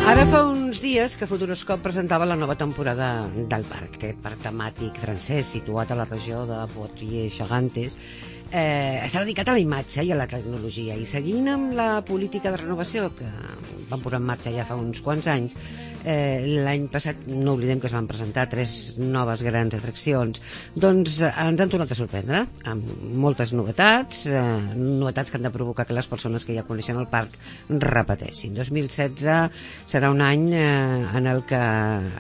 Ara fa uns dies que Futuroscope presentava la nova temporada del parc, aquest parc temàtic francès situat a la regió de Poitiers-Charentais. Està dedicat a la imatge i a la tecnologia, i seguint amb la política de renovació que van posar en marxa ja fa uns quants anys, l'any passat no oblidem que es van presentar 3 noves grans atraccions. Doncs ens han tornat a sorprendre amb moltes novetats, novetats que han de provocar que les persones que ja coneixen el parc repeteixin. 2016 serà un any en el que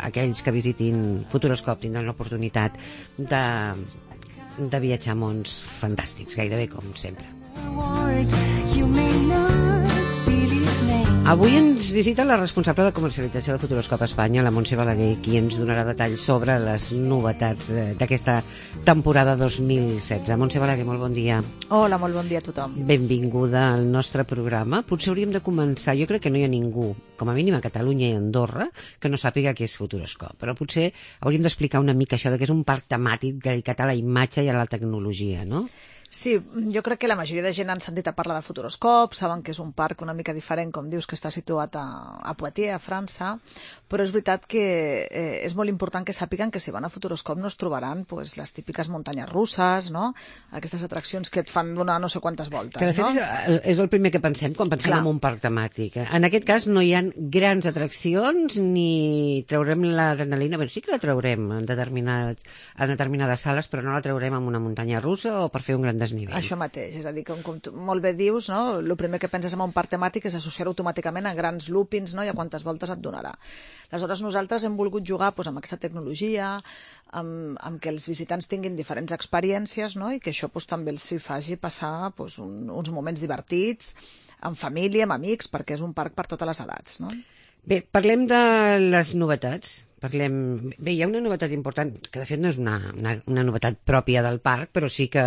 aquells que visitin Futuroscope tindran l'oportunitat de viatjar a mons fantàstics, gairebé com sempre. Avui ens visita la responsable de comercialització de Futuroscope Espanya, la Montse Balaguer, qui ens donarà detalls sobre les novetats d'aquesta temporada 2016. Montse Balaguer, molt bon dia. Hola, molt bon dia a tothom. Benvinguda al nostre programa. Potser hauríem de començar, jo crec que no hi ha ningú, com a mínim a Catalunya i Andorra, que no sàpiga què és Futuroscope, però potser hauríem d'explicar una mica això de que és un parc temàtic dedicat a la imatge i a la tecnologia, no? Sí, jo crec que la majoria de gent han sentit a parlar de Futuroscope, saben que és un parc una mica diferent, com dius, que està situat a Poitiers, a França, però és veritat que és molt important que sàpiguen que si van a Futuroscope no es trobaran pues, les típiques muntanyes russes, no? Aquestes atraccions que et fan donar no sé quantes voltes. Que de fet és el primer que pensem quan pensem en un parc temàtic. En aquest cas no hi ha grans atraccions ni traurem l'adrenalina, bé, sí que la traurem en determinades sales, però no la traurem en una muntanya russa o per fer un gran desnivell. Això mateix, és a dir, com molt bé dius, no? El primer que penses en un parc temàtic és associar-ho automàticament a grans loopings, no? I a quantes voltes et donarà. Aleshores, nosaltres hem volgut jugar doncs, amb aquesta tecnologia, amb que els visitants tinguin diferents experiències, no? I que això doncs, també els faci passar doncs, uns moments divertits, amb família, amb amics, perquè és un parc per totes les edats, no? Bé, parlem de les novetats. Bé, hi ha una novetat important, que de fet no és una novetat pròpia del parc, però sí que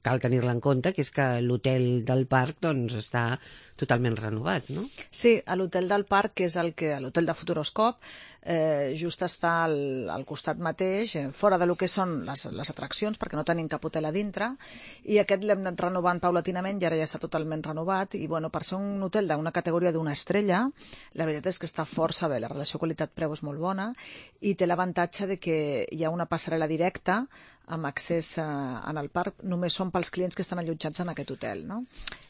cal tenir-la en compte, que és que l'hotel del parc doncs, està totalment renovat, no? Sí, a l'hotel del parc, que és l'hotel de Futuroscope, just està al costat mateix, fora de lo que són les atraccions, perquè no tenim cap hotel a dintre, i aquest l'hem anat renovant paulatinament i ara ja està totalment renovat, i bueno, per ser un hotel d'una categoria d'una estrella, la veritat és que està força bé, la relació qualitat-preu és molt bona, i té l'avantatge de que hi ha una passarel·la directa amb accés en el parc, només són pels clients que estan allotjats en aquest hotel, no?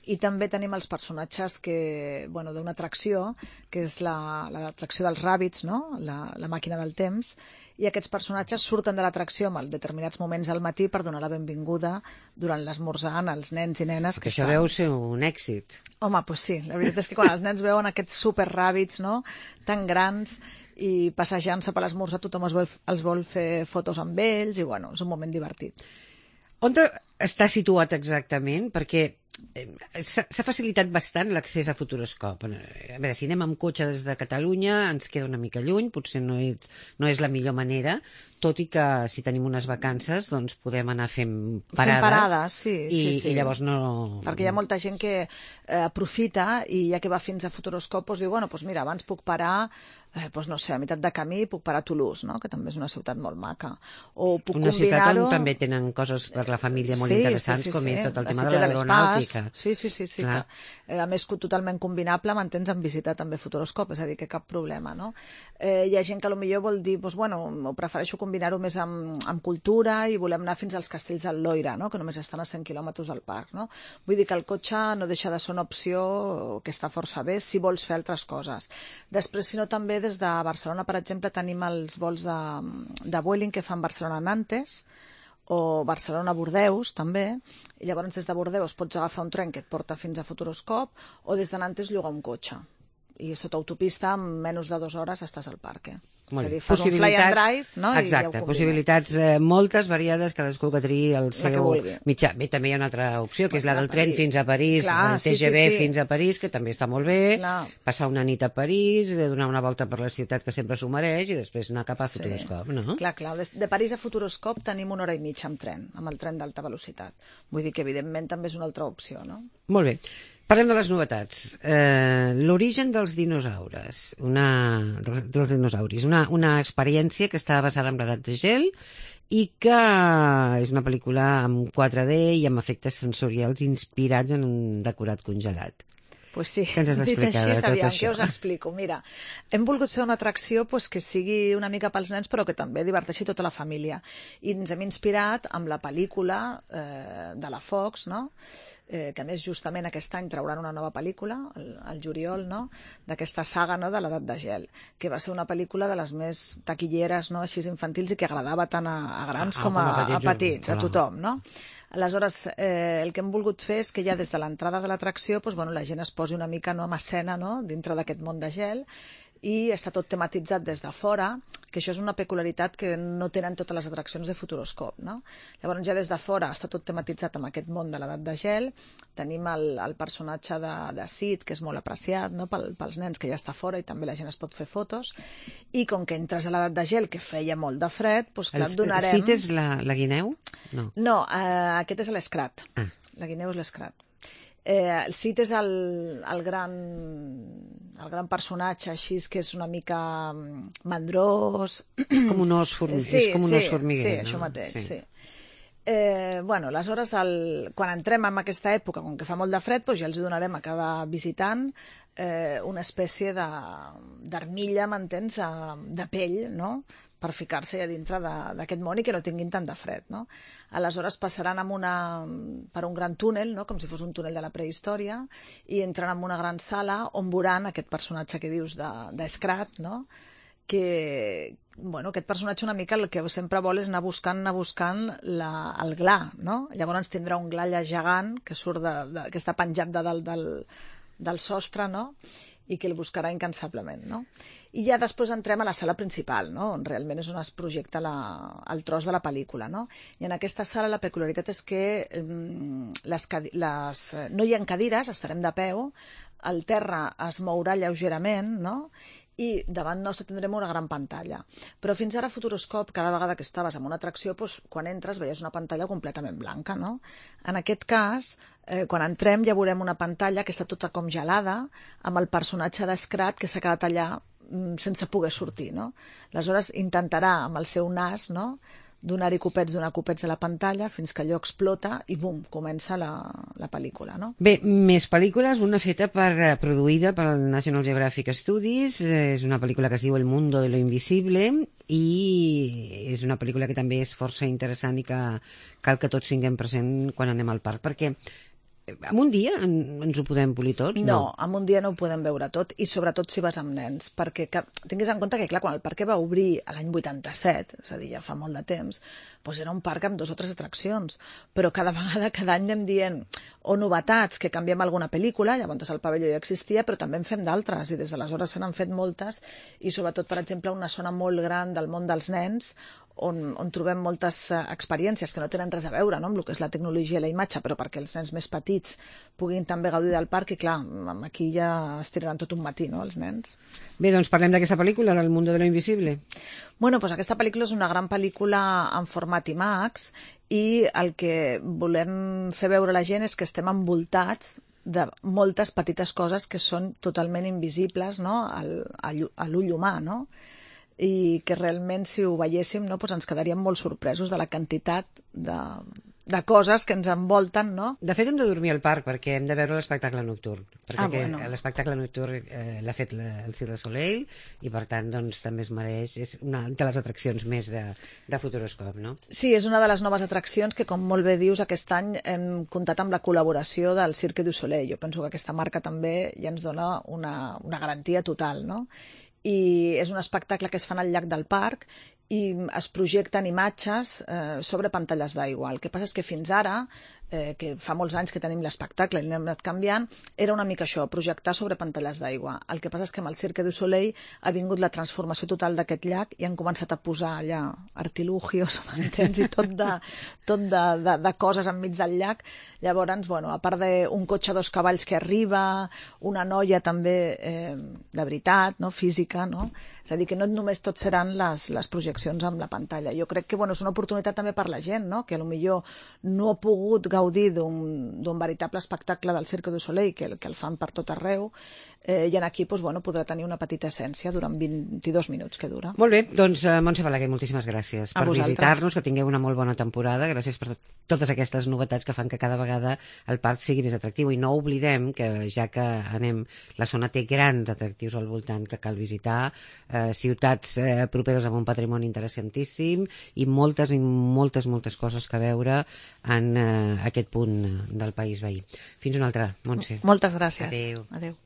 I també tenim els personatges d'una atracció, que és l'atracció dels Rabbits, no? La màquina del temps, i aquests personatges surten de l'atracció en determinats moments al matí per donar la benvinguda durant l'esmorzar als nens i nenes. Que això deu ser un èxit. Home, doncs sí, la veritat és que quan els nens veuen aquests super Rabbits, no? Tan grans, i passejant-se per l'esmorzar tothom els vol fer fotos amb ells i bueno, és un moment divertit. On està situat exactament? Perquè s'ha facilitat bastant l'accés a Futuroscope. A veure, si anem amb cotxe des de Catalunya ens queda una mica lluny, potser no és la millor manera, tot i que si tenim unes vacances doncs podem anar fent parades, sí. I llavors no... Perquè hi ha molta gent que aprofita i ja que va fins a Futuroscope doncs diu, bueno, doncs mira, abans puc parar doncs no sé, a meitat de camí puc parar a Toulouse, no? Que també és una ciutat molt maca. O puc una ciutat combinar-ho... on també tenen coses per la família molt interessants, com és tot el tema de la l'aeronàutica. Sí, que, a més totalment combinable, m'entens, en visitar també Futuroscope, és a dir, que cap problema, no? Hi ha gent que potser vol dir, doncs, bueno, ho prefereixo combinar-ho més amb cultura i volem anar fins als castells del Loira, no? Que només estan a 100 quilòmetres del parc, no? Vull dir que el cotxe no deixa de ser una opció que està força bé si vols fer altres coses. Després, si no, també des de Barcelona, per exemple, tenim els vols de Vueling que fan Barcelona-Nantes o Barcelona-Bordeus, també, i llavors des de Bordeus pots agafar un tren que et porta fins a Futuroscope o des de Nantes llogar un cotxe. I sota autopista, en menys de 2 hores estàs al parc, Molt bé. Fas un fly and drive, no? Exacte, possibilitats moltes, variades, cadascú que triï el seu mitjà. Bé, també hi ha una altra opció, que és la del tren fins a París, el TGV fins a París, que també està molt bé, passar una nit a París, donar una volta per la ciutat, que sempre s'ho mereix, i després anar cap a Futuroscope, no? Clar, de París a Futuroscope tenim 1 hora i mitja amb tren, amb el tren d'alta velocitat. Vull dir que, evidentment, també és una altra opció, no? Molt bé. Parlem de les novetats. L'origen dels dinosaures, una experiència que està basada en l'edat de gel i que és una pel·lícula amb 4D i amb efectes sensorials inspirats en un decorat congelat. Pues sí, Què ens has dit d'explicar així, de tot aviam, això? què us explico? Mira, hem volgut fer una atracció pues, que sigui una mica pels nens però que també diverteixi tota la família. I ens hem inspirat amb la pel·lícula de la Fox, no? Que a més justament aquest any trauran una nova pel·lícula, el juliol, no? D'aquesta saga, no? De l'edat de gel, que va ser una pel·lícula de les més taquilleres, no? Així infantils i que agradava tant a grans com a petits, a tothom, no? Aleshores, el que hem volgut fer és que ja des de l'entrada de l'atracció doncs, bueno, la gent es posi una mica no, en escena no? Dintre d'aquest món de gel i està tot tematitzat des de fora, que això és una peculiaritat que no tenen totes les atraccions de Futuroscope, no? Llavors ja des de fora està tot tematitzat amb aquest món de l'edat de gel, tenim el personatge de Sid, que és molt apreciat no? Pels nens, que ja està fora i també la gent es pot fer fotos, i com que entres a l'edat de gel, que feia molt de fred, doncs clar, et donarem... Sid és la guineu? No, no aquest és l'Escrat. La guineu és l'Escrat. El Sid és el gran personatge així que és una mica mandrós. És com un os formiguer. Sí, és com un os formiguer, sí, no? això mateix, sí. Bueno, aleshores, quan entrem en aquesta època, com que fa molt de fred, doncs ja els donarem a cada visitant una espècie d'armilla, m'entens, de pell, no?, per ficar-se a dintre d'aquest món i que no tinguin tant de fred, no? Aleshores passaran per un gran túnel, no? Com si fos un túnel de la prehistòria, i entren en una gran sala on veuran aquest personatge que dius d'Escrat, no? Que, bueno, aquest personatge una mica el que sempre vol és anar buscant el gla, no? Llavors tindrà un gla allà gegant que surt que està penjat de dalt del sostre, no? I que el buscarà incansablement, no? I ja després entrem a la sala principal, no? On realment és on es projecta el tros de la pel·lícula, no? I en aquesta sala la peculiaritat és que no hi ha cadires, estarem de peu, el terra es mourà lleugerament, no? I davant nostre tindrem una gran pantalla. Però fins ara a Futuroscope, cada vegada que estaves en una atracció, doncs, quan entres veies una pantalla completament blanca, no? En aquest cas, quan entrem ja veurem una pantalla que està tota com gelada, amb el personatge d'Escrat que s'ha quedat allà sense poder sortir, no? Aleshores intentarà amb el seu nas, no?, donar-hi copets a la pantalla fins que allò explota i bum, comença la pel·lícula, no? Bé, més pel·lícules, una feta produïda pel National Geographic Studies, és una pel·lícula que es diu El mundo de lo invisible i és una pel·lícula que també és força interessant i que cal que tots tinguem present quan anem al parc, perquè en un dia ens ho podem polir tots? No, en un dia no ho podem veure tot, i sobretot si vas amb nens, perquè tinguis en compte que, clar, quan el parc va obrir l'any 87, és a dir, ja fa molt de temps, doncs era un parc amb 2 o 3 atraccions, però cada any anem dient o novetats, que canviem alguna pel·lícula, llavors el pavelló ja existia, però també en fem d'altres, i des d'aleshores se n'han fet moltes, i sobretot, per exemple, una zona molt gran del món dels nens, on trobem moltes experiències que no tenen res a veure, no?, amb el que és la tecnologia i la imatge, però perquè els nens més petits puguin també gaudir del parc, i clar, aquí ja es tiraran tot un matí, no?, els nens. Bé, doncs parlem d'aquesta pel·lícula, del mundo de lo invisible. Bueno, doncs aquesta pel·lícula és una gran pel·lícula en format IMAX, i el que volem fer veure a la gent és que estem envoltats de moltes petites coses que són totalment invisibles, no?, a l'ull humà, no?, i que realment si ho veiéssim, no, doncs ens quedaríem molt sorpresos de la quantitat de coses que ens envolten, no? De fet, hem de dormir al parc perquè hem de veure l'espectacle nocturn, perquè bueno. l'espectacle nocturn l'ha fet el Cirque du Soleil i per tant doncs també es mereix, és una de les atraccions més de Futuroscope, no? Sí, és una de les noves atraccions que, com molt bé dius, aquest any hem comptat amb la col·laboració del Cirque du Soleil. Jo penso que aquesta marca també ja ens dona una garantia total, no? I és un espectacle que es fa al llac del parc i es projecten imatges sobre pantalles d'aigua. El que passa és que fins ara, que fa molts anys que tenim l'espectacle i l'hem anat canviant, era una mica això, projectar sobre pantalles d'aigua. El que passa és que amb el Cirque du Soleil ha vingut la transformació total d'aquest llac i han començat a posar allà artilugios, m'entens, i tot de coses enmig del llac. Llavors, bueno, a part d'un cotxe a 2 cavalls que arriba, una noia també de veritat, no?, física, no? És a dir, que no només tot seran les projeccions amb la pantalla. Jo crec que, bueno, és una oportunitat també per la gent, no?, que potser no ha pogut gaudir d'un veritable espectacle del Cirque du Soleil, que el fan per tot arreu, i aquí podrà tenir una petita essència durant 22 minuts que dura. Molt bé, doncs Montse Balaguer, moltíssimes gràcies per visitar-nos, que tingueu una molt bona temporada, gràcies per totes aquestes novetats que fan que cada vegada el parc sigui més atractiu, i no oblidem que ja que anem, la zona té grans atractius al voltant que cal visitar, ciutats properes amb un patrimoni interessantíssim i moltes coses que veure en aquest punt del país veí. Fins una altra, Montse. Moltes gràcies. Adéu. Adéu.